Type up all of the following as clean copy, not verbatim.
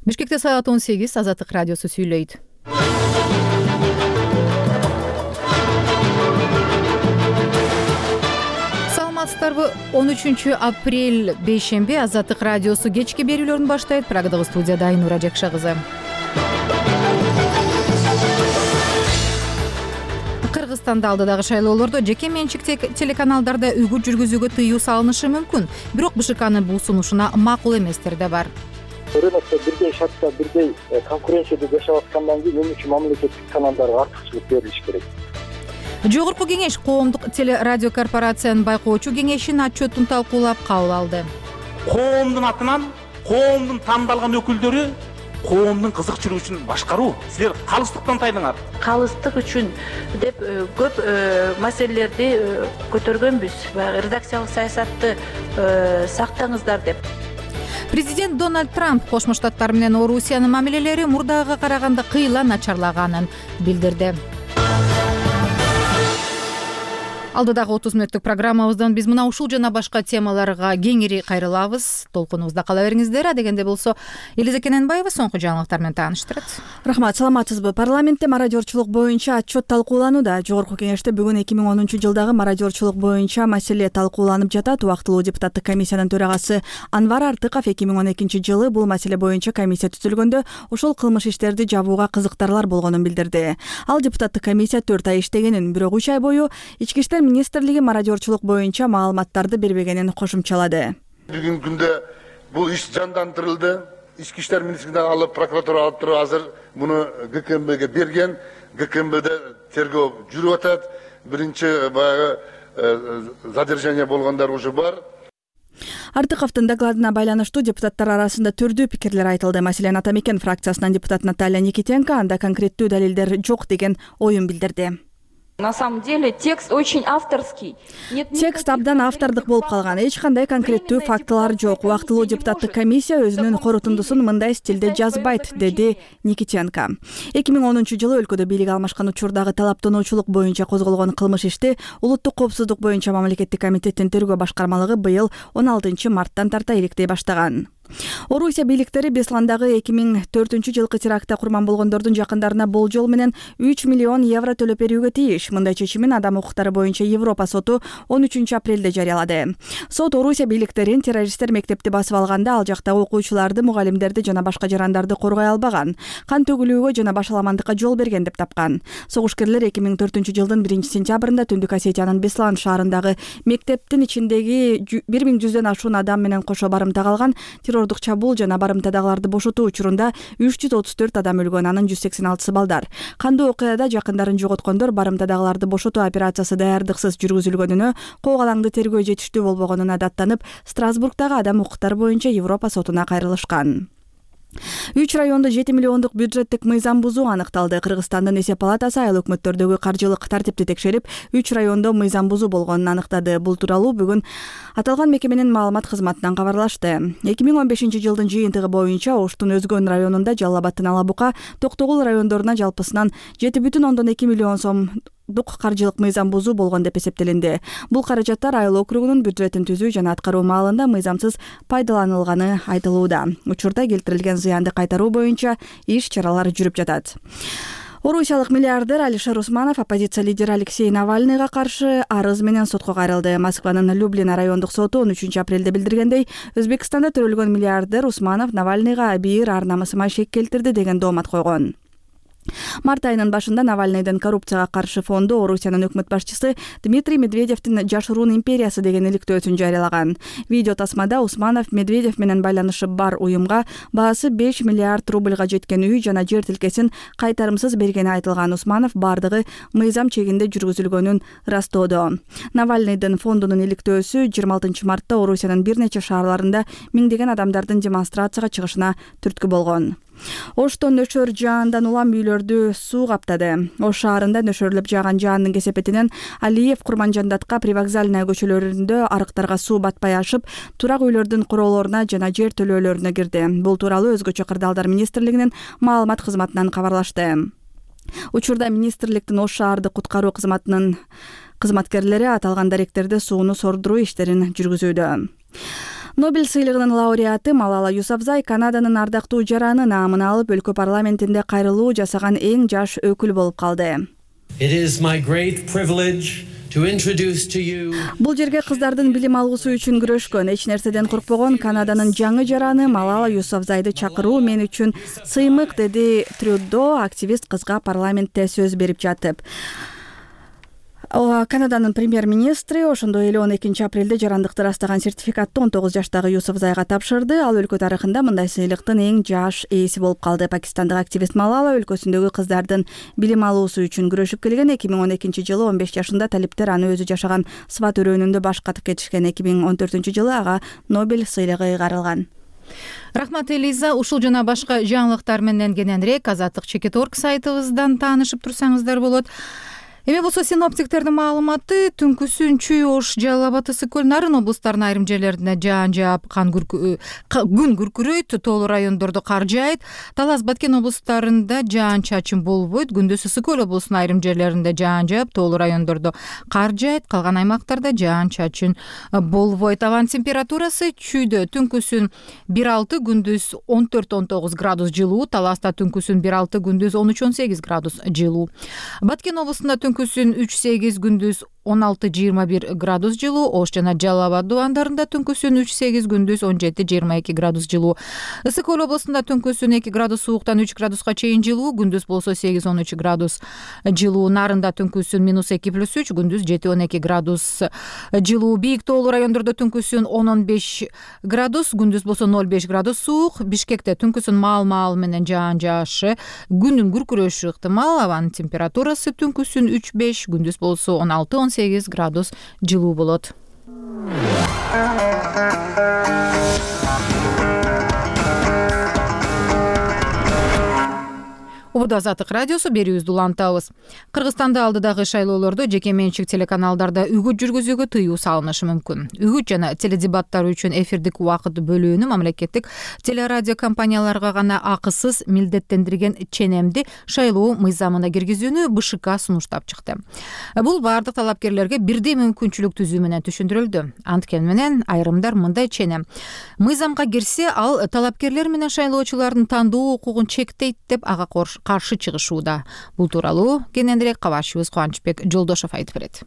Бишкекте саат 18 Азаттык радиосу сүйлөйт. Саламатсыздарбы? 13 апрель бейшемби Азаттык радиосу кечки берүүлөрүн баштайт. Прагадагы студияда Айнура Жакша кызы. Кыргызстанда алдыдагы шайлоолордо жеке менчик телеканалдарда үгүт жүргүзүүгө тыюу салынышы мүмкүн. Бирок БШКнын бул сунушуна макул эместер да бар. Рынокто бирдей шартта, бирдей конкуренцияда жашап аткандан кийин эмне үчүн мамлекеттик каналдарга артыкчылык берилиш керек? Жогорку кеңеш коомдук телерадио корпорациянын байкоочу кеңешинин отчетун талкуулап кабыл алды. Коомдун атынан коомдун тандалган өкүлдөрү коомдун кызыкчылыгын башкаруу. Силер калыстыктан тайдыңар. Калыстык үчүн деп көп маселелерди көтөргөнбүз. Баягы редакциялык саясатты сактаңыздар деп. Президент Дональд Трамп Кошмо Штаттар менен Орусиянын мамилелери мурдагыга караганда кыйла начарлаганын билдирди. Алдыдагы 30 мүнөттүк программабыздан биз мына ушул жана башка темаларга кеңири кайрылабыз. Толкунубузда кала бериңиздер. Адегенде болсо Элиза Кененбаева соңку жаңылыктар менен тааныштырат. Рахмат, саламатсызбы? Парламентте мародёрчулук боюнча отчет талкууланууда. Жогорку кеңеште бүгүн 2010-жылдагы мародёрчулук боюнча маселе талкууланып жатат. Убактылуу депутаттык комиссиянын төрагасы Анвар Артыков 2012-жылы бул маселе боюнча комиссия түзүлгөндө ошол кылмыш иштерди жабууга кызыктарлар болгонун билдирди. Ал депутаттык комиссия 4 ай иштегенин, бирок 3 ай бою ички иштер министрлиги мародёрчулук боюнча маалыматтарды бербегенин кошумчалады. Бүгүнкү күндө бул иш жандандырылды. Ички иштер министрлигинен алып, прокуратура алып туруп азыр муну ГКМБге берген. ГКМБде тергөө жүрүп атат. Биринчи баягы задержание болгондар уже бар. Артыковдун докладына байланыштуу депутаттар арасында түрдүү пикирлер айтылды. Маселен, Ата Мекен фракциясынан депутат Наталья Никитенко анда конкреттүү далилдер жок деген оюн билдирди. На самом деле текст очень авторский. Текст абдан автордук болуп калган. Эч кандай конкреттүү фактылар жок. Убактылуу депутаттык комиссия өзүнүн корутундусун мындай стилде жазбайт, деди Никитенко. 2010-жылы өлкөдө бийлик алмашкан учурдагы талаптануучулук боюнча козголгон кылмыш ишти Улуттук коопсуздук боюнча мамлекеттик комитеттин тергөө башкармалыгы быйыл 16-марттан тарта иликтей баштаган. Орусия бийликтери Бесландагы 2004-жылкы терактта курман болгондордун жакындарына болжол менен 3 миллион евро төлөп берүүгө тийиш. Мындай чечимин Адам укуктары боюнча Европа соту 13 апрелде жарыялады. Сот Орусия бийликтерин террористтер мектепти басып алганда ал жактагы окуучуларды, мугалимдерди жана башка жарандарды коргой албаган, кан төгүлүүгө жана башаламандыкка жол берген деп тапкан. Согушкерлер 2004-жылдын 1-сентябрында Түндүк Осетиянын Беслан шаарындагы мектептин ичиндеги 1100дөн ашуун адам менен кошо барымта калган террордук чабуул жана барымтадагыларды бошотуу учурунда 334 адам өлгөн, анын 186 балдар. Кандуу окуяда жакындарын жоготкондор барымтадагыларды бошотуу операциясы даярдыксыз жүргүзүлгөнүнө, коогалаңды тергөө жетиштүү болбогонуна даттанып, Страсбургдагы Адам укуктары боюнча Европа сотуна кайрылышкан. 3 райондо 7 миллиондук бюджеттик мыйзам бузуу аныкталды. Кыргызстандын эсеп палатасы айыл өкмөттөрдөгү каржылык тартипти текшерип, 3 райондо мыйзам бузуу болгонун аныктады. Бул тууралуу бүгүн аталган мекеменин маалымат кызматынан кабарлашты. 2015-жылдын жыйынтыгы боюнча Оштун Өзгөн районунда, Жалал Абадтын Алабука, Токтогул райондоруна жалпысынан 7,2 миллион сом каржылык мыйзам бузуу болгон деп эсептелинди. Бул каражаттар айыл округунун бюджетин түзүү жана аткаруу маалында мыйзамсыз пайдаланылганы айтылууда. Учурда келтирилген зыянды кайтаруу боюнча иш-чаралар жүрүп жатат. Орусиялык миллиардер Алишер Усманов оппозиция лидери Алексей Навальныйга каршы арыз менен сотко кайрылды. Москванын Люблин райондук соту 13 апрелде билдиргендей, Өзбекстанда төрөлгөн миллиардер Усманов Навальныйга абийир ар-намысыма шек келтирди деген доомат койгон. Март айынын башында Навальныйдын коррупцияга каршы фонду Орусиянын өкмөт башчысы Дмитрий Медведевдин Жашыруун империясы деген иликтөөсүн жарыялаган. Видео тасмада Усманов Медведев менен байланышы бар уюмга баасы 5 миллиард рубльга жеткен үй жана жер тилкесин кайтарымсыз бергени айтылган. Усманов бардыгы мыйзам чегинде жүргүзүлгөнүн ырастоодо. Навальныйдын фондунун иликтөөсү 26 мартта Орусиянын бир нече шаарларында миңдеген адамдардын демонстрацияга чыгышына түрткү болгон. Ошто нөшөр жаандан улам үйлөрдү суу каптады. Ош шаарында нөшөрлөп жааган жаандын кесепетинен Алиев, Курманжандатка, Привокзальная көчөлөрүндө арыктарга суу батпай ашып, турак үйлөрдүн куроолоруна жана жер төлөөлөрүнө кирди. Бул тууралуу Өзгөчө кырдаалдар министрлигинин маалымат кызматынан кабарлашты. Учурда министрликтин Ош шаардык куткаруу кызматынын кызматкерлери аталган даректерде сууну сордуруу иштерин жүргүзүүдө. Нобель сыйлыгынын лауреаты Малала Юсафзай Канаданын ардактуу жараны наамын алып, өлкө парламентинде кайрылуу жасаган эң жаш өкүл болуп калды. It is my great privilege to introduce to you. Бул жерге кыздардын билим алуусу үчүн күрөшкөн, эч нерседен коркпогон Канаданын жаңы жараны Малала Юсафзайды чакыруу мен үчүн сыймык, деди Трюдо активист кызга парламентте сөз берип жатып. Канаданын премьер-министри ошондой эле 12 апрелде жарандыкты ырастаган сертификатты 19 жаштагы Юсафзайга тапшырды. Ал өлкө тарыхында мындай сыйлыктын эң жаш ээси болуп калды. Пакистандык активист Малала өлкөсүндөгү кыздардын билим алуусу үчүн күрөшүп келген. 2012 жылы 15 жашында талиптер аны өзү жашаган Сват өрөөнүндө баш катып кетишкен. 2014 жылы ага Нобель сыйлыгы ыйгарылган. Рахмат Элиза. Ушул жана башка жаңылыктар менен кененирээк Азаттык.org сайтыбыздан таанышып турсаңыздар болот. Эми болсо синоптиктердин маалыматы түнкүсүн Чүй, Ош, Жалал абад, Ысык көл, Нарын облустарынын айрым жерлеринде жаан жаап, күн күркүрөйт, тоолуу райондордо кар жаайт. Талас, Баткен облустарында жаан чачын болбойт. Күндүз Ысык көл облусунун айрым жерлеринде жаан жаап, тоолуу райондордо кар жаайт. Калган аймактарда жаан чачын болбойт. Абанын температурасы Чүйдө түнкүсүн 1-6, күндүз 14-19 градус жылуу. Таласта түнкүсүн 1-6, күндүз 13-18 градус жылуу. Баткен облусунда түнкүсүн 3-8, күндүз 16-21 градус жылуу. Ош жана Жалал абад дубандарында түнкүсүн 3-8, күндүз 17-22 градус жылуу. Ысык көл облусунда түнкүсүн 2 градус сууктан 3 градуска чейин жылуу, күндүз болсо 8-13 градус жылуу. Нарында түнкүсүн -2+3, күндүз 7-12 градус жылуу. Бийик тоолуу райондордо түнкүсүн 10-15 градус, күндүз болсо 0-5 градус суук. Бишкекте түнкүсүн маал менен жаан жаашы, күндүн күркүрөшү ыктымал. Абанын температурасы түнкүсүн 3-5, күндүз болсо 16-18 градус жылуу болот. Убада Азаттык радиосу берүүбүздү улантабыз. Кыргызстанда алдыдагы шайлоолордо жеке менчик телеканалдарда үгүт жүргүзүүгө тыюу салынышы мүмкүн. Үгүт жана теледебаттар үчүн эфирдик убакыт бөлүүнү мамлекеттик телерадио компанияларга гана акысыз милдеттендирген ченемди шайлоо мыйзамына киргизүүнү БШК сунуштап чыкты. Бул бардык талапкерлерге бирдей мүмкүнчүлүк түзүү менен түшүндүрүлдү. Анткени менен айрымдар мындай ченем мыйзамга кирсе, ал талапкерлер менен шайлоочулардын тандоо укугун чектейт деп ага каршы чыгышууда. Бул тууралуу кененирээк кабарчыбыз Кубанычбек Жолдошов айтып берет.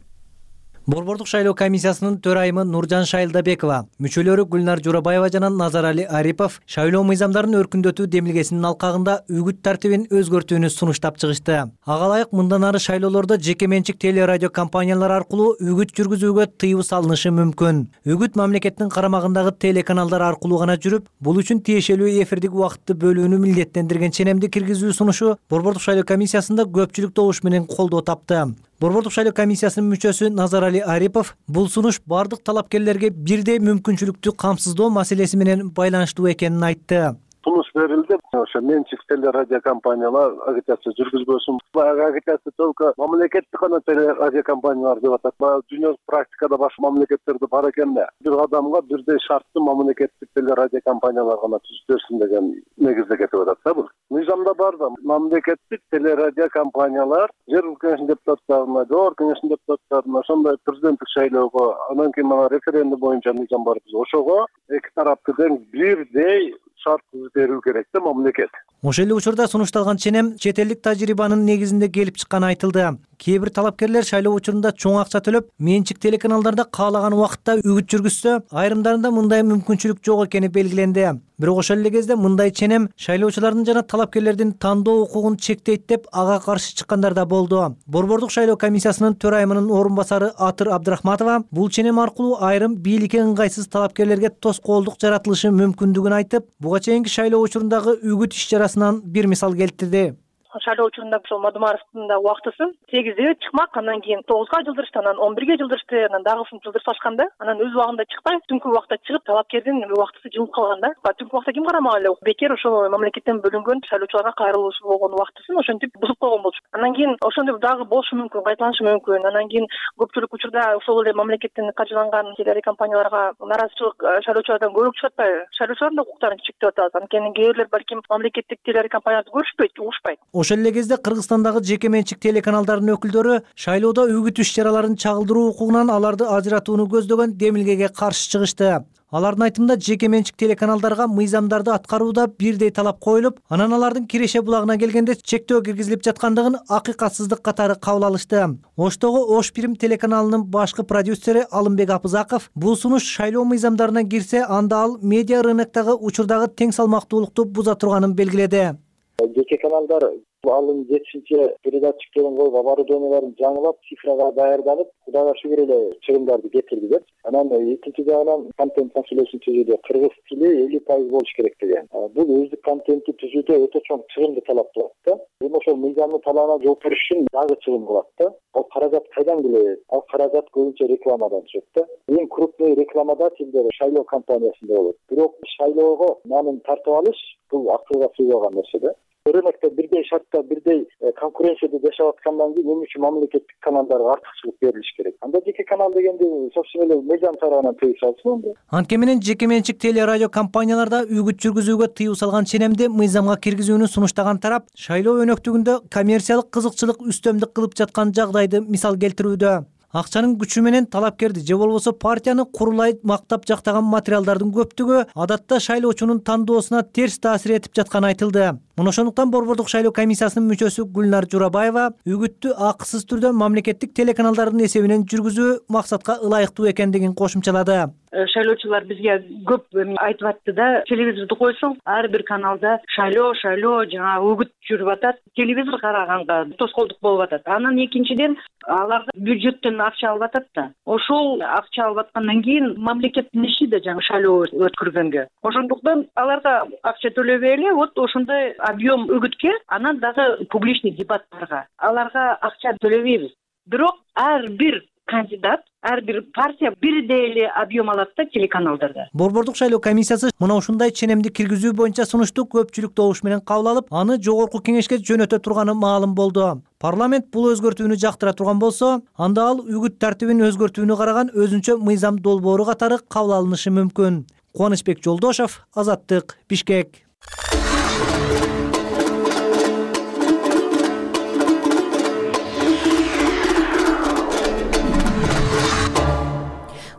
Борбордук шайлоо комиссиясынын төрайымы Нуржан Шайлдабекова, мүчөлөрү Гүлнар Журабаева жана Назарали Арипов шайлоо мыйзамдарын өркүндөтүү демилгесинин алкагында үгүт тартибин өзгөртүүнү сунуштап чыгышты. Ага ылайык мындан ары шайлоолордо жеке менчик телерадио компаниялар аркылуу үгүт жүргүзүүгө тыюу салынышы мүмкүн. Үгүт мамлекеттин карамагындагы телеканалдар аркылуу гана жүрүп, бул үчүн тиешелүү эфирдик убакытты бөлүүнү милдеттендирген ченемди киргизүү сунушу Борбордук шайлоо комиссиясында көпчүлүк добуш менен колдоо тапты. Борбордук шайлоо комиссиясынын мүчөсү Назарали Арипов бул сунуш бардык талапкерлерге бирдей мүмкүнчүлүктү камсыздоо маселеси менен байланыштуу экенин айтты. Сунуш берилди. Ошо менчик телерадио компаниялар агитация жүргүзбөсүн. Агитация только мамлекеттик гана телерадио компаниялар деп атат. Дүйнөлүк практикада башка мамлекеттерде бар экен да. Бир адамга бирдей шартты мамлекеттик телерадио компаниялар гана түзүп деген негизде кетип атат да бул. Мыйзамда бар да мамлекеттик телерадио компаниялар жер өлкөнүн депутаттарына, жогорку кеңештин депутаттарына, ошондой президенттик шайлоого, анан кийин мына референдум боюнча мыйзам бар. Ошого эки тарапты тең бирдей шарт берүү керек да мамлекет. Ошол эле учурда сунушталган ченем чет элдик тажрыйбанын негизинде келип чыкканы айтылды. Кээ бир талапкерлер шайлоо учурунда чоң акча төлөп, менчик телеканалдарда каалаган убакытта үгүт жүргүзсө, айрымдарында мындай мүмкүнчүлүк жок экени белгиленди. Бирок ошол эле кезде мындай ченем шайлоочулардын жана талапкерлердин тандоо укугун чектейт деп ага каршы чыккандар да болду. Борбордук шайлоо комиссиясынын төрайымынын орун басары Атыр Абдрахматова бул ченем аркылуу айрым бийликке ыңгайсыз талапкерлерге тоскоолдук жаратылышы мүмкүндүгүн айтып, буга чейинки шайлоо учурундагы үгүт иш-чарасынан бир мисал келтирди. Шайлоо учурунда ошол Мадумаровдун да убактысы 8-де чыкмак, анан кийин 9га жылдырышты, анан 11ге жылдырышты, анан дагы жылдырып башканда, анан өз убагында чыкпай, түнкү убакта чыгып, талапкердин убактысы жылып калган да. Түнкү убакта ким карамак эле? Бекер ошол мамлекеттен бөлүнгөн шайлоочуларга кайрылуучу болгон убактысын ошентип бузуп койгон болчу. Анан кийин ошондой дагы болушу мүмкүн, кайталанышы мүмкүн. Анан кийин көпчүлүк учурда ошол эле мамлекеттен каржыланган телерадио компанияларга наразычылык шайлоочулардан көбүрөөк чыгат атпайбы? Шайлоочулардын укуктарын чектеп атабыз. Анткени кээ бирлер балким мамлекеттик телерадио компанияларды көрүшпөйт, угушпайт. Ошол эле кезде Кыргызстандагы жеке менчик телеканалдардын өкүлдөрү шайлоодо үгүт иш-чараларын чагылдыруу укугунан аларды ажыратууну көздөгөн демилгеге каршы чыгышты. Алардын айтымында жеке менчик телеканалдарга мыйзамдарды аткарууда бирдей талап коюлуп, анан алардын киреше булагына келгенде чектөө киргизилип жаткандыгын акыйкатсыздык катары кабыл алышты. Оштогу Ош Бирим телеканалынын башкы продюсери Алымбек Апызаков бул сунуш шайлоо мыйзамдарына кирсе, анда ал медиа рыноктогу учурдагы тең салмактуулукту буза турганын белгиледи. Жеке каналдар алым жетишинче передатчиктерин коюп, оборудованияларын жаңылап, цифрага даярданып, Кудайга шүгүр эле чыгымдарды кетирди деп. Анан экинчи жагынан контент маселесин түзүүдө кыргыз тили 50% болуш керек деген. Бул өздүк контентти түзүүдө өтө чоң чыгымды талап кылат да. Эми ошол мыйзамдын талабына жооп бериш үчүн дагы чыгым кылат да. Ал каражат кайдан келет? Ал каражат көбүнчө рекламадан түшөт да. Эң крупный рекламодателдер шайлоо компаниясында болот. Бирок шайлоого нанын тартып алыш бул акылга сыйбаган нерсе да. Рынокто бирдей шартта, бирдей конкуренцияда жашап аткандан кийин эмне үчүн мамлекеттик каналдарга артыкчылык берилиш керек? Анда жеке канал дегенди собственно эле мыйзам тарабынан тыюу салсын анда. Анткени менен жеке менчик теле радио компанияларда үгүт жүргүзүүгө тыюу салган ченемди мыйзамга киргизүүнү сунуштаган тарап шайлоо өнөктүгүндө коммерциялык кызыкчылык үстөмдүк кылып жаткан жагдайды мисал келтирүүдө. Акчанын күчү менен талапкерди же болбосо партияны курулай мактап жактаган материалдардын көптүгү адатта шайлоочунун тандоосуна терс таасир этип жатканы айтылды. Мына ошондуктан Борбордук шайлоо комиссиясынын мүчөсү Гүлнар Журабаева үгүттү акысыз түрдө мамлекеттик телеканалдардын эсебинен жүргүзүү максатка ылайыктуу экендигин кошумчалады. Шайлоочулар бизге көп айтып атты да, телевизорду койсоң, ар бир каналда шайлоо жаңа үгүт жүрүп атат, телевизор караганга тоскоолдук болуп атат. Анан экинчиден алар бюджеттен акча алып атат да. Ошол акча алып аткандан кийин мамлекеттин иши да жаңы шайлоо өткөргөнгө. Ошондуктан аларга акча төлөбөй эле, вот ошондой объем үгүткө, анан дагы публичный дебаттарга аларга акча төлөбөйбүз. Бирок ар бир кандидат, ар бир партия бирдей эле объем алат да телеканалдарда. Борбордук шайлоо комиссиясы мына ушундай ченемди киргизүү боюнча сунушту көпчүлүк добуш менен кабыл алып, аны жогорку кеңешке жөнөтө турганы маалым болду. Парламент бул өзгөртүүнү жактыра турган болсо, анда ал үгүт тартибин өзгөртүүнү караган өзүнчө мыйзам долбоору катары кабыл алынышы мүмкүн. Кубанычбек Жолдошов, Азаттык, Бишкек.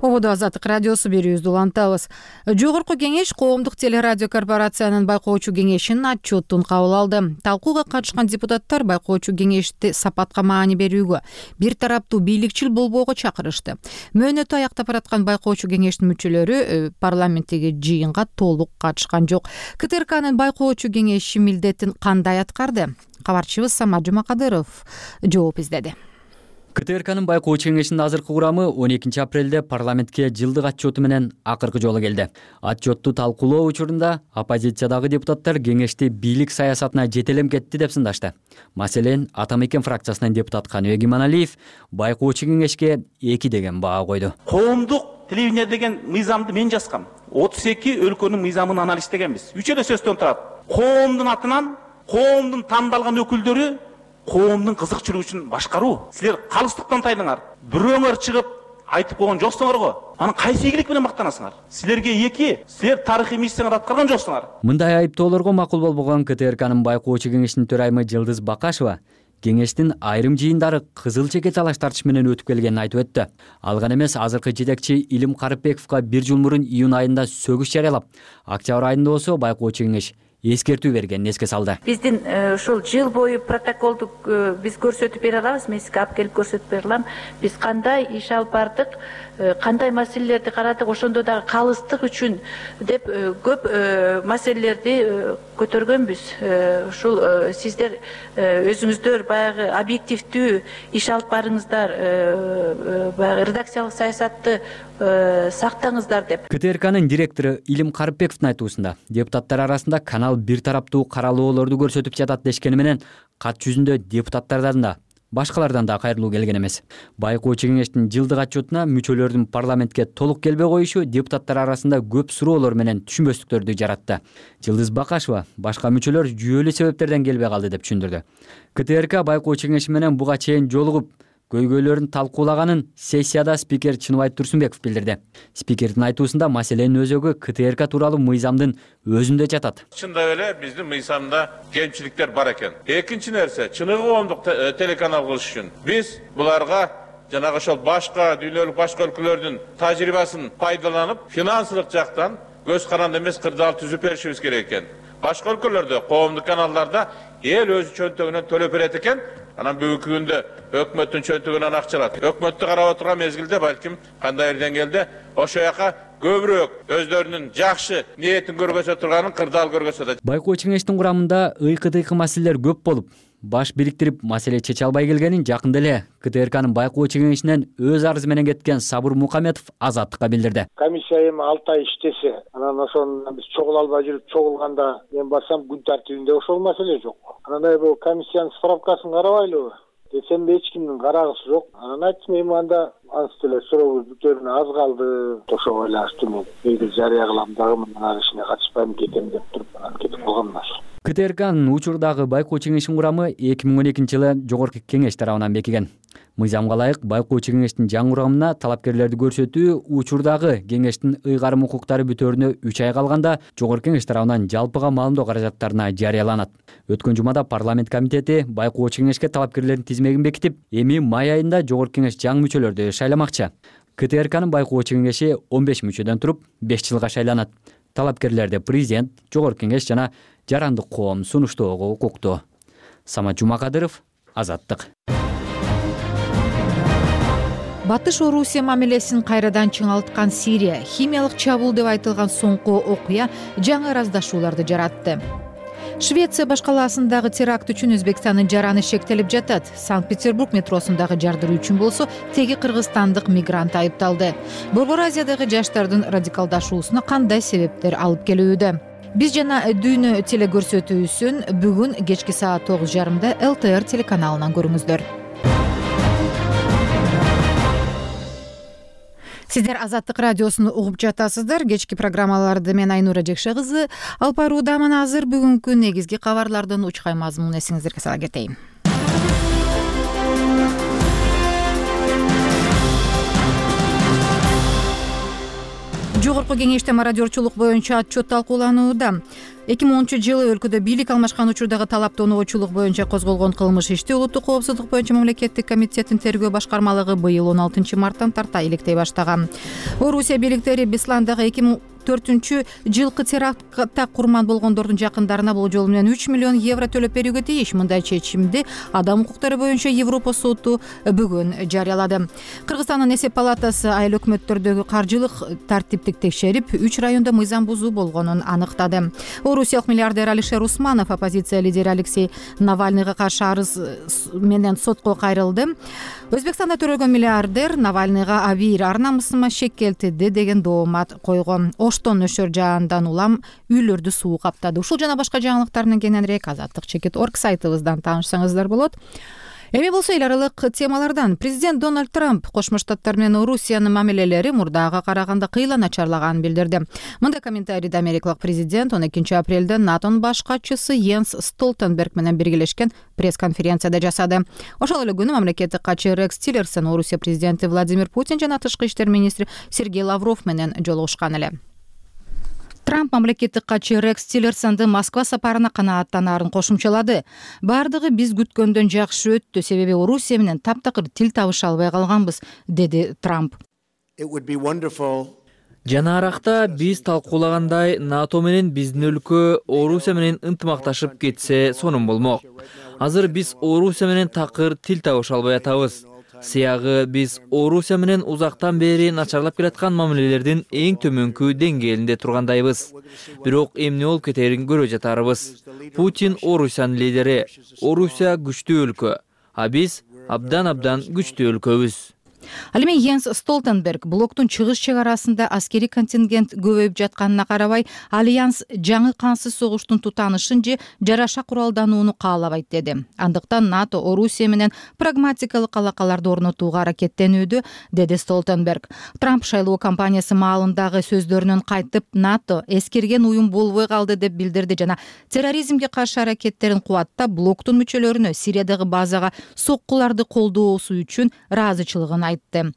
Ободо Азаттык радиосу берүүбүздү улантабыз. Жогорку кеңеш коомдук телерадио корпорациянын байкоочу кеңешинин отчетун кабыл алды. Талкууга катышкан депутаттар байкоочу кеңешти сапатка маани берүүгө, бир тараптуу бийликчил болбоого чакырышты. Мөөнөтү аяктап бараткан байкоочу кеңештин мүчөлөрү парламенттеги жыйынга толук катышкан жок. КТРКнын байкоочу кеңеши милдетин кандай аткарды? Кабарчыбыз Самат Жумакадыров жооп издеди. КТРКнын байкоочу кеңешинин азыркы курамы 12 апрелде парламентке жылдык отчету менен акыркы жолу келди. Отчетту талкуулоо учурунда оппозициядагы депутаттар кеңешти бийлик саясатына жетелем кетти деп сындашты. Маселен, Атамекен фракциясынын депутат Каныбек Иманалиев байкоочу кеңешке 2 деген баа койду. Коомдук телевидение деген мыйзамды мен жазгам. 32 өлкөнүн мыйзамын анализдегенбиз. 3 эле сөздөн турат. Коомдун атынан коомдун тандалган өкүлдөрү коомдун кызыкчылыгы үчүн башкаруу. Силер калыстыктан тайдыңар. Бирөөңөр чыгып айтып койгон жоксуңар го. Анан кайсы ийгилик менен мактанасыңар? Силерге 2, силер тарыхый миссияңарды аткарган жоксуңар. Мындай айыптоолорго макул болбогон КТРКнын байкоочу кеңешинин төрайымы Жылдыз Бакашева кеңештин айрым жыйындары кызыл чеке талаш тартыш менен өтүп келгенин айтып өттү. Ал гана эмес, азыркы жетекчи Илим Карыпбековго 1 жыл мурун июнь айында сөгүш жарыялап, октябрь айында болсо байкоочу кеңеш эскертүү бергенин эске салды. Биздин ушул жыл бою протоколду биз көрсөтүп бере алабыз, мен сизге алып келип көрсөтүп бере алам. Биз кандай иш алып бардык, кандай маселелерди карадык, ошондо дагы калыстык үчүн деп көп маселелерди көтөргөнбүз. Ушул сиздер өзүңүздөр баягы объективдүү иш алып барыңыздар, баягы редакциялык саясатты сактаңыздар деп. КТРКнын директору Илим Карыпбековдун айтуусунда депутаттар арасында канал бир тараптуу каралоолорду көрсөтүп жатат дешкени менен кат жүзүндө депутаттардан да башкалардан да кайрылуу келген эмес. Байкоочу кеңештин жылдык отчетуна мүчөлөрдүн парламентке толук келбей коюшу депутаттар арасында көп суроолор менен түшүнбөстүктөрдү жаратты. Жылдыз Бакашева башка мүчөлөр жүйөлүү себептерден келбей калды деп түшүндүрдү. КТРК байкоочу кеңеши менен буга чейин жолугуп көйгөйлөрүн талкуулаганын сессияда спикер Чыныбай Турсунбеков билдирди. Спикердин айтуусунда маселенин өзөгү КТРК тууралуу мыйзамдын өзүндө жатат. Чындап эле биздин мыйзамда кемчиликтер бар экен. Экинчи нерсе, чыныгы коомдук телеканал кылыш үчүн биз буларга жанагы ошол башка дүйнөлүк башка өлкөлөрдүн тажрыйбасын пайдаланып, финансылык жактан көз каранды эмес кырдаал түзүп беришибиз керек экен. Башка өлкөлөрдө коомдук каналдарда эл өзү чөнтөгүнөн төлөп берет экен. Анан бүгүнкү күндө өкмөттүн чөнтөгүнөн акча алат. Өкмөттү карап отурган мезгилде балким кандайдыр деңгээлде ошол жака көбүрөөк өздөрүнүн жакшы ниетин көргөзө турганын кырдаал көргөзө да. Байкоо кеңештин курамында ыйкы-тыйкы маселелер көп болуп, баш бириктирип маселе чече албай келгенин жакында эле КТРКнын байкоо кеңешинен өз арызы менен кеткен Сабыр Мукаметов Азаттыкка билдирди. Комиссия эми 6 ай иштесе, анан ошону биз чогула албай жүрүп, чогулганда мен барсам күн тартибинде ошол маселе жок. Анан бул комиссиянын справкасын карабайлыбы десем эч кимдин карагысы жок. Анан айттым, эми анда анча эле сурообуз бүтөрүнө аз калды. Ошого байланыштуу мен эки жарыя кылам дагы мындан ишине катышпайм кетем деп туруп анан кетип калганмын. КТРКнын учурдагы байкоо кеңешинин курамы 2012-жылы жогорку кеңеш тарабынан бекиген. Мыйзамга ылайык байкоо кеңештин жаңы курамына талапкерлерди көрсөтүү учурдагы кеңештин ыйгарым укуктары бүтөөрүнө 3 ай калганда жогорку кеңеш тарабынан жалпыга маалымдоо каражаттарына жарыяланат. Өткөн жумада парламент комитети байкоо кеңешке талапкерлердин тизмегин бекитип, эми май айында жогорку кеңеш жаңы мүчөлөрдү шайламакчы. КТРКнын байкоо кеңеши 15 мүчөдөн туруп 5 жылга шайланат. Талапкерлерди президент, жогорку кеңеш жана жарандык коом сунуштоого укуктуу. Самат Жумакадыров, Азаттык. Батыш Орусия мамилесин кайрадан чыңалткан Сирия, химиялык чабуул деп айтылган соңку окуя жаңы ыраздашууларды жаратты. Швеция башкаласындагы теракт үчүн Өзбекстандын жараны шектелип жатат. Санкт-Петербург метросундагы жардыруу үчүн болсо теги кыргызстандык мигрант айыпталды. Борбор Азиядагы жаштардын радикалдашуусуна кандай себептер алып келүүдө? Биз жана дүйнө телекөрсөтүүсүн бүгүн кечки саат 9:30 ЛТР телеканалынан көрүңүздөр. Сиздер Азаттык радиосун угуп жатасыздар. Кечки программаларды мен Айнура Жекше кызы алып баруудамын. Азыр бүгүнкү негизги кабарлардын учкай мазмунун эсиңиздерге сала кетейин. Жогорку кеңеште мародерчулук боюнча отчет талкууланууда. 2010-жылы өлкөдө бийлик алмашкан учурдагы талап-тоноочулук боюнча козголгон кылмыш ишти Улуттук коопсуздук боюнча мамлекеттик комитеттин тергөө башкармалыгы быйыл 16 марттан тарта иликтей баштаган. Орусия бийликтери Бесландагы 2004-жылкы терактта курман болгондордун жакындарына бул жол менен 3 миллион евро төлөп берүүгө тийиш. Мындай чечимди Адам укуктары боюнча Европа соту бүгүн жарыялады. Кыргызстандын эсеп палатасы айыл өкмөттөрдөгү каржылык тартиптик текшерип, 3 райондо мыйзам бузуу болгонун аныктады. Орусиялык миллиардер Алишер Усманов оппозиция лидери Алексей Навальныйга каршы арыз менен сотко кайрылды. Өзбекстанда төрөлгөн миллиардер Навальныйга абийир ар намысыма шек келтирди деген доомат койгон. Оштон нөшөр жаандан улам үйлөрдү суу каптады. Ушул жана башка жаңылыктар менен кененирээк Азаттык.org сайтыбыздан таанышсаңыздар болот. Эми болсо эл аралык темалардан. Президент Дональд Трамп Кошмо Штаттар менен Орусиянын мамилелери мурдага караганда кыйла начарлаганын билдирди. Мындай комментарийди америкалык президент 12 апрелде НАТОнун баш катчысы Йенс Столтенберг менен биргелешкен пресс-конференцияда жасады. Ошол эле күнү мамлекеттик катчы Рекс Тиллерсон Орусия президенти Владимир Путин жана тышкы иштер министри Сергей Лавров менен жолугушкан эле. Трамп мамлекеттик катчы Рекс Тиллерсонду Москва сапарына канааттанаарын кошумчалады. Бардыгы биз күткөндөн жакшы өттү, себеби Орусия менен таптакыр тил табыша албай калганбыз, деди Трамп. Жанаракта биз талкуулагандай НАТО менен биздин өлкө Орусия менен ынтымакташып кетсе сонун болмок. Азыр биз Орусия менен такыр тил табыша албай атабыз. Сыягы биз Орусия менен узактан бери начарлап келаткан мамилелердин эң төмөнкү деңгээлинде тургандайбыз. Бирок эмне болуп кетерин көрө жатарбыз. Путин Орусиянын лидери. Орусия күчтүү өлкө, а биз абдан күчтүү өлкөбүз. Ал эми Йенс Столтенберг блоктун чыгыш чек арасында аскерий контингент көбөйүп жатканына карабай, Альянс жаңы кансыз согуштун тутанышын же жараша куралданууну каалабайт деди. Андыктан НАТО Орусия менен прагматикалык алакаларды орнотууга аракеттенүүдө, деди Столтенберг. Трамп шайлоо кампаниясы маалындагы сөздөрүнөн кайтып, НАТО эскерген уюм болбой калды деп билдирди жана терроризмге каршы аракеттерин кубаттап, блоктун мүчөлөрүнө Сириядагы базага соккуларды колдоосу үчүн ыраазычылыгын айтты.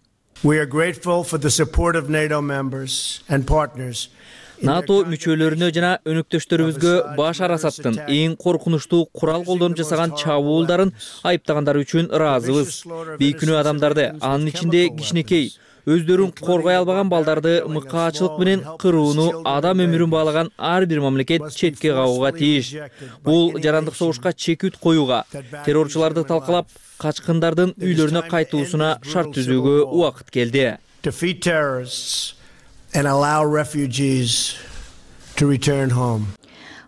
НАТО мүчөлөрүнө жана өнөктөштөрүбүзгө Башар Асадтын эң коркунучтуу курал колдонуп жасаган чабуулдарын айыптагандары үчүн ыраазыбыз. Бейкүнөө адамдарды, анын ичинде кичинекей, өздөрүн коргой албаган балдарды мыкаачылык менен кырууну, адам өмүрүн баалаган ар бир мамлекет четке кагууга тийиш. Бул жарандык согушка чекит коюуга, террорчуларды талкалап, качкындардын үйлөрүнө кайтуусуна шарт түзүүгө убакыт келди.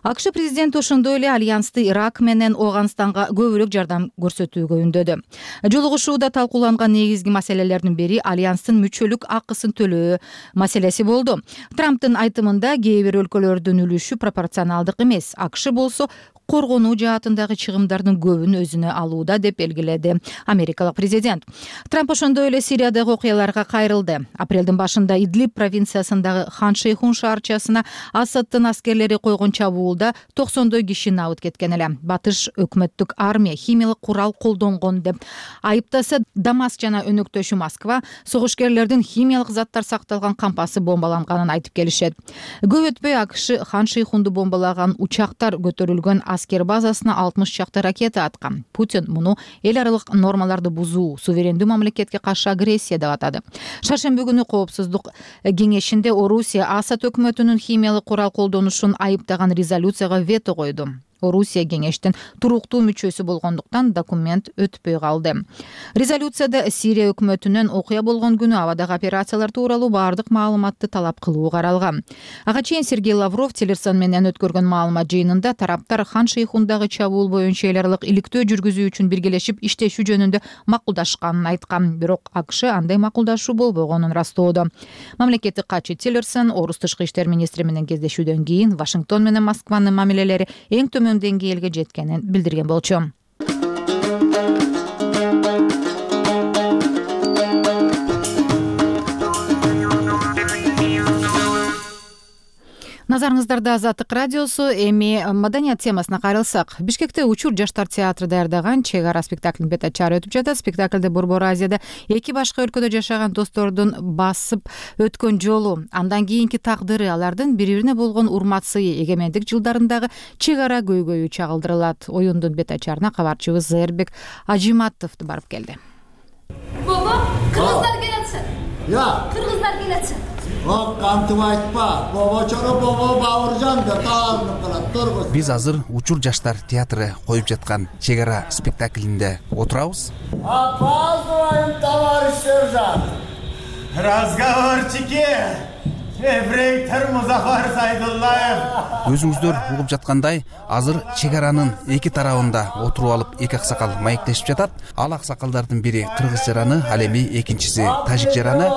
АКШ президенти ошондой эле Альянсты Ирак менен Ооганстанга көбүрөөк жардам көрсөтүүгө үндөдү. Жолугушууда талкууланган негизги маселелердин бири Альянстын мүчөлүк акысын төлөө маселеси болду. Трамптын айтымында кээ бир өлкөлөрдүн үлүшү пропорционалдык эмес. АКШ болсо коргонуу жаатындагы чыгымдардын көбүн өзүнө алууда деп белгиледи америкалык президент. Трамп ошондой эле Сириядагы окуяларга кайрылды. Апрелдин башында Идлиб провинциясындагы Хан Шейхун шаарчасына Асадтын аскерлери койгон чабуулда 90 киши набыт кеткен эле. Батыш өкмөттүк армия химиялык курал колдонгон деп айыптаса, Дамаск жана өнөктөшү Москва согушкерлердин химиялык заттар сакталган кампасы бомбаланганын айтып келишет. Көп өтпөй АКШ Хан Шейхунду бомбалаган учактар көтөрүлгөн аскер базасына 60 чакты ракета аткан. Путин муну эл аралык нормаларды бузуу, суверендүү мамлекетке каршы агрессия деп атады. Шаршемби күнү Коопсуздук кеңешинде Орусия Асад өкмөтүнүн химиялык курал колдонушун айыптаган резолюцияга вето койду. Орусия кеңештин туруктуу мүчөсү болгондуктан документ өтпөй калды. Резолюцияда Сирия өкмөтүнүн окуя болгон күнү абадагы операциялар тууралуу бардык маалыматты талап кылуу каралган. Ага чейин Сергей Лавров телефон менен өткөргөн маалымат жыйынында тараптар Хан Шейхундагы чабуул боюнча эл аралык иликтөө жүргүзүү үчүн биргелешип иштешүү жөнүндө макулдашканын айткан. Бирок АКШ андай макулдашуу болбогонун растоодо. Мамлекеттик катчы Тиллерсон орус тышкы иштер министри менен кездешүүдөн кийин Вашингтон менен Москванын мамилелери эң төмөн деңгээлге жеткенин билдирген болчу. Назарыңыздарда Азаттык радиосу. Эми маданият темасына кайрылсак, Бишкекте Учур жаштар театры даярдаган Чек ара спектаклинин бет ачары өтүп жатат. Спектаклде Борбор Азияда эки башка өлкөдө жашаган достордун басып өткөн жолу, андан кийинки тагдыры, алардын бири-бирине болгон урмат сыйы, эгемендик жылдарындагы чек ара көйгөйү чагылдырылат. Оюндун бет ачарына кабарчыбыз Зээрбек Ажиматов барып келди. Баба, кыргыздар келетсин. Кыргыздар келетсин. Кантип айтпа, бобочоро бобо Бауыржан деп таалынып калат, тургуз. Биз азыр Учур жаштар театры коюп жаткан Чек ара спектаклинде отурабыз. Опаздываем, товарищ сержант. Разговорчики. Эфрейтор Музафар Сайдуллаев. Өзүңүздөр угуп жаткандай, азыр чек аранын эки тарабында отуруп алып эки аксакал маектешип жатат. Ал аксакалдардын бири кыргыз жараны, ал эми экинчиси тажик жараны.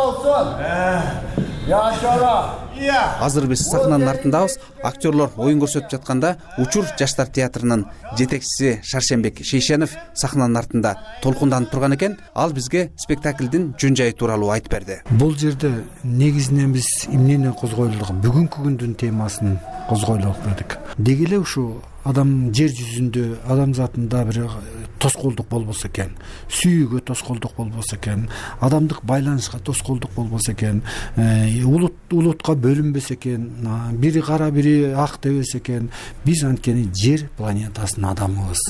Азыр биз сахнанын артындабыз. Актерлор оюн көрсөтүп жатканда Учур жаштар театрынын жетекчиси Шаршембек Шейшенов сахнанын артында толкунданып турган экен. Ал бизге спектаклдин жөн жайы тууралуу айтып берди. Бул жерде негизинен биз эмнени козгойлук, бүгүнкү күндүн темасын козгойлуп бердик. Деги эле ушу адам жер жүзүндө адамзатында бир тоскоолдук болбосо экен, сүйүүгө тоскоолдук болбосо экен, адамдык байланышка тоскоолдук болбосо экен, улутка бөлүнбөсө экен, бири кара бири ак дебесе экен, биз анткени жер планетасынын адамыбыз,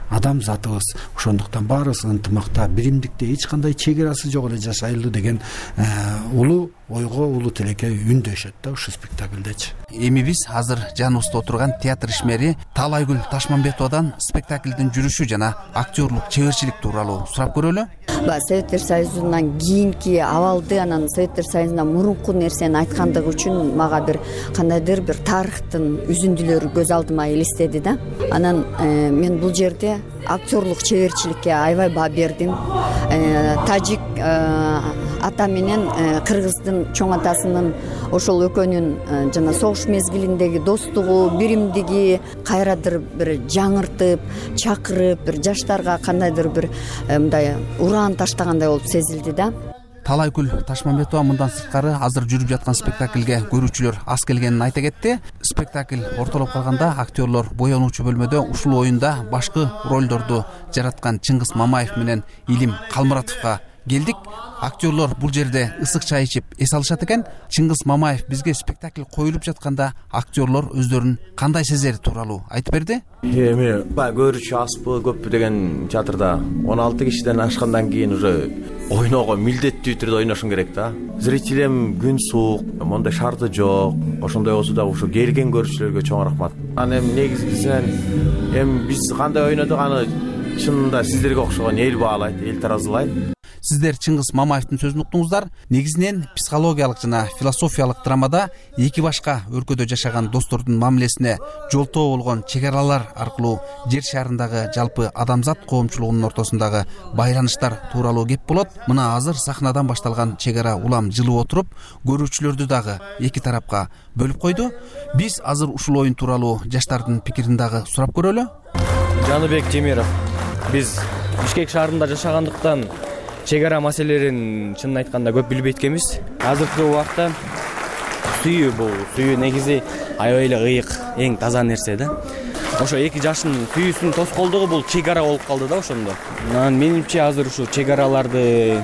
адамзатыбыз. Ошондуктан баарыбыз ынтымакта, биримдикте, эч кандай чек арасы жок эле жашайлы деген улуу ойго улуу тилекке үндөшөт да ушул спектакльдечи. Эми биз азыр жаныбызда отурган театр ишмери Талайгүл Ташмамбетовадан спектаклдин жүрүшү жана актерлук чеберчилик тууралуу сурап көрөлү. Советтер Союзунан кийинки абалды, анан Советтер Союзунан мурунку нерсени айткандыгы үчүн мага бир кандайдыр бир тарыхтын үзүндүлөрү көз алдыма элестеди да. Анан мен бул жерде актерлук чеберчиликке аябай баа бердим. Тажик ата менен кыргыздын чоң атасынын ошол экөөнүн жана согуш мезгилиндеги достугу, биримдиги кайраdır бир жаңыртып, чакырып, бир жаштарга кандайдыр бир мындай ураан таштагандай болуп сезилди да. Талайгүл Ташмамбетова мындан сырткары азыр жүрүп жаткан спектакльге көрүүчүлөр аз келгенин айта кетти. Спектакль ортолоп калганда актерлор боёнуучу бөлмөдө ушул оюнда башкы ролдорду жараткан Чыңгыз Мамаев менен Илим Калмуратовго келдик. Актерлор бул жерде ысык чай ичип эс алышат экен. Чыңгыз Мамаев бизге спектакль коюлуп жатканда актерлор өздөрүн кандай сезери тууралуу айтып берди. Эми көрүүчү аспы көппү деген театрда 16 кишиден ашкандан кийин уже ойноого милдеттүү түрдө ойношуң керек да. Зритель эми күн суук, мондай шарды жок. Ошондой болсо дагы ушу келген көрүүчүлөргө чоң рахмат. Аны эми негизгисинен эми биз кандай ойнодук, аны чынында сиздерге окшогон эл баалайт, эл таразылайт. Сиздер Чыңгыз Мамаевдин сөзүн уктуңуздар. Негизинен психологиялык жана философиялык драмада эки башка өлкөдө жашаган достордун мамилесине жолтоо болгон чек аралар аркылуу жер шарындагы жалпы адамзат коомчулугунун ортосундагы байланыштар тууралуу кеп болот. Мына азыр сахнадан башталган чек ара улам жылып отуруп, көрүүчүлөрдү дагы эки тарапка бөлүп койду. Биз азыр ушул оюн тууралуу жаштардын пикирин дагы сурап көрөлү. Жаныбек Темиров. Биз Бишкек шаарында жашагандыктан чек ара маселелерин чынын айтканда көп билбейт экенбиз. Азыркы убакта сүйүү негизи аябай эле ыйык, эң таза нерсе да. Ошо эки жаштын сүйүүсүнүн тоскоолдугу бул чек ара болуп калды да ошондо. Менимче азыр ушу чек араларды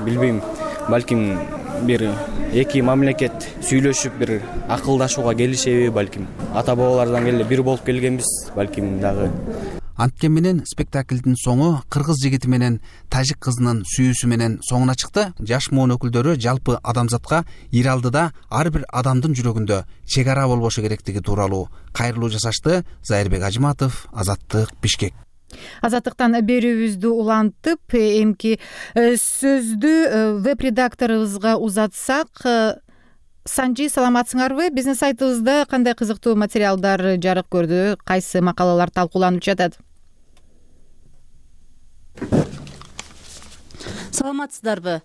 билбейм, балким бир эки мамлекет сүйлөшүп бир акылдашууга келишеби, балким ата бабалардан эле бир болуп келгенбиз, балким дагы. Анткени менен спектаклдин соңу кыргыз жигити менен тажик кызынын сүйүүсү менен соңуна чыкты. Жаш муун өкүлдөрү жалпы адамзатка ир алдыда ар бир адамдын жүрөгүндө чек ара болбошу керектиги тууралуу кайрылуу жасашты. Зайырбек Ажыматов, Азаттык, Бишкек. Азаттыктан берүүбүздү улантып, эмки сөздү веб-редакторубузга узатсак, Санжи, саламатсыңарбы? Биздин сайтыбызда кандай кызыктуу материалдар жарык көрдү? Кайсы макалалар талкууланып жатат? Саламатсыздарбы?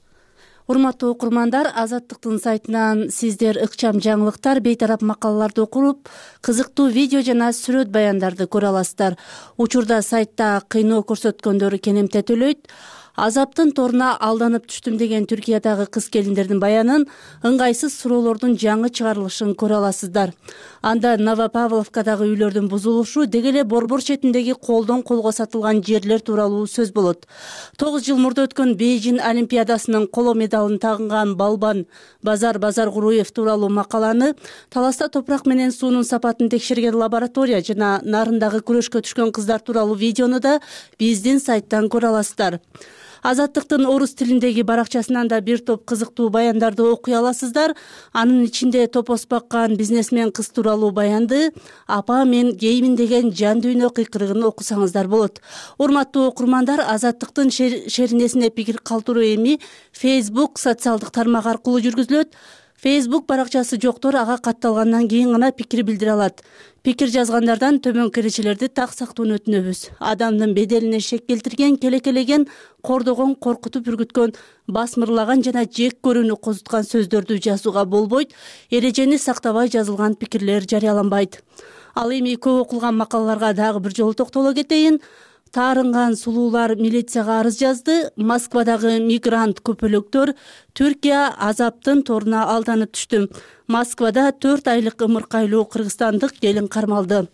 Урматтуу окурмандар, Азаттыктын сайтынан сиздер ыкчам жаңылыктар, бейтарап макалаларды окуп, кызыктуу видео жана сүрөт баяндарды көрө аласыздар. Учурда сайтта кыйноо көрсөткөндөрү кенемте төлөйт. Азаптын торуна алданып түштүм деген Түркиядагы кыз келиндердин баянын, ыңгайсыз суроолордун жаңы чыгарылышын көрө аласыздар. Анда Новопавловкадагы үйлөрдүн бузулушу, деги эле Борбор четиндеги колдон колго сатылган жерлер тууралуу сөз болот. 9 жыл мурда өткөн Бейжин Олимпиадасынын коло медалын тагынган балбан Базар Куруев тууралуу макаланы, Таласта топурак менен суунун сапатын текшерген лаборатория жана нарындагы күрөшкө түшкөн кыздар тууралуу видеону да биздин сайттан көрө аласыздар. Азаттыктын орус тилиндеги баракчасынан да бир топ кызыктуу баяндарды окуй аласыздар. Анын ичинде топос баккан бизнесмен кыз тууралуу баянды, апа мен геймин деген жан дүйнө кыйкырыгын окусаңыздар болот. Урматтуу окурмандар, Азаттыктын шеринесине пикир калтыруу эми Facebook социалдык тармак аркылуу жүргүзүлөт. Facebook баракчасы жоктор ага катталгандан кийин гана пикир билдире алат. Пикир жазгандардан төмөнкү эрежелерди так сактоону өтүнөбүз. Адамдын беделине шек келтирген, келекелеген, кордогон, коркутуп үргүткөн, басмырлаган жана жек көрүүнү козуткан сөздөрдү жазууга болбойт. Эрежени сактабай жазылган пикирлер жарыяланбайт. Ал эми көп окулган макалаларга дагы бир жолу токтоло кетейин. Таарынган сулуулар милицияга арыз жазды. Москвадагы мигрант көпөлөктөр Түркия азаптын торуна алданып түштү. Москвада 4 айлык ымыркайлуу кыргызстандык келин кармалды.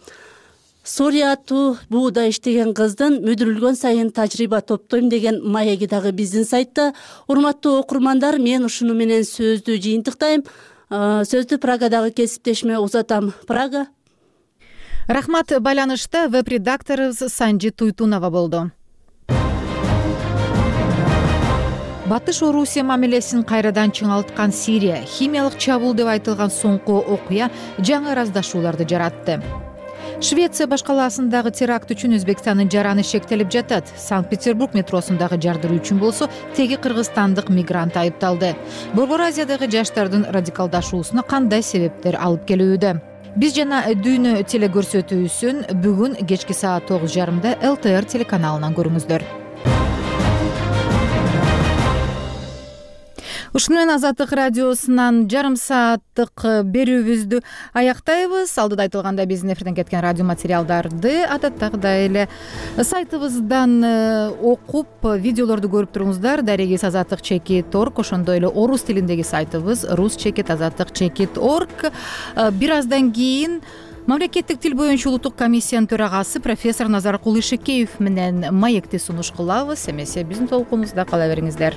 Сурия аттуу бууда иштеген кыздын мүдүрүлгөн сайын тажрыйба топтойм деген маеги дагы биздин сайтта. Урматтуу окурмандар, мен ушуну менен сөздү жыйынтыктайм. Сөздү Прагадагы кесиптешиме узатам. Прага. Рахмат. Байланышта веб-редакторубуз Санжи Туйтунова болду. Батыш Орусия мамилесин кайрадан чыңалткан Сирия, химиялык чабуул деп айтылган соңку окуя жаңы ыраздашууларды жаратты. Швеция башкаласындагы теракт үчүн Өзбекстандын жараны шектелип жатат. Санкт-Петербург метросундагы жардыруу үчүн болсо теги кыргызстандык мигрант айыпталды. Борбор Азиядагы жаштардын радикалдашуусуна кандай себептер алып келүүдө? Биз жана дүйнө телекөрсөтүүсүн бүгүн кечки саат 9:30 ЛТР телеканалынан көрүңүздөр. Ушуну менен Азаттык радиосунан жарым сааттык берүүбүздү аяктайбыз. Алдыда айтылгандай биздин эфирден кеткен радио материалдарды адаттагыдай эле сайтыбыздан окуп, видеолорду көрүп туруңуздар. Дарегиз azattik.org, ошондой эле орус тилиндеги сайтыбыз rus.azattik.org. Бир аздан кийин Мамлекеттик тил боюнча улуттук комиссиянын төрагасы профессор Назаркул Ишекеев менен маекти сунуш кылабыз. Эмесе биздин толкунубузда кала бериңиздер.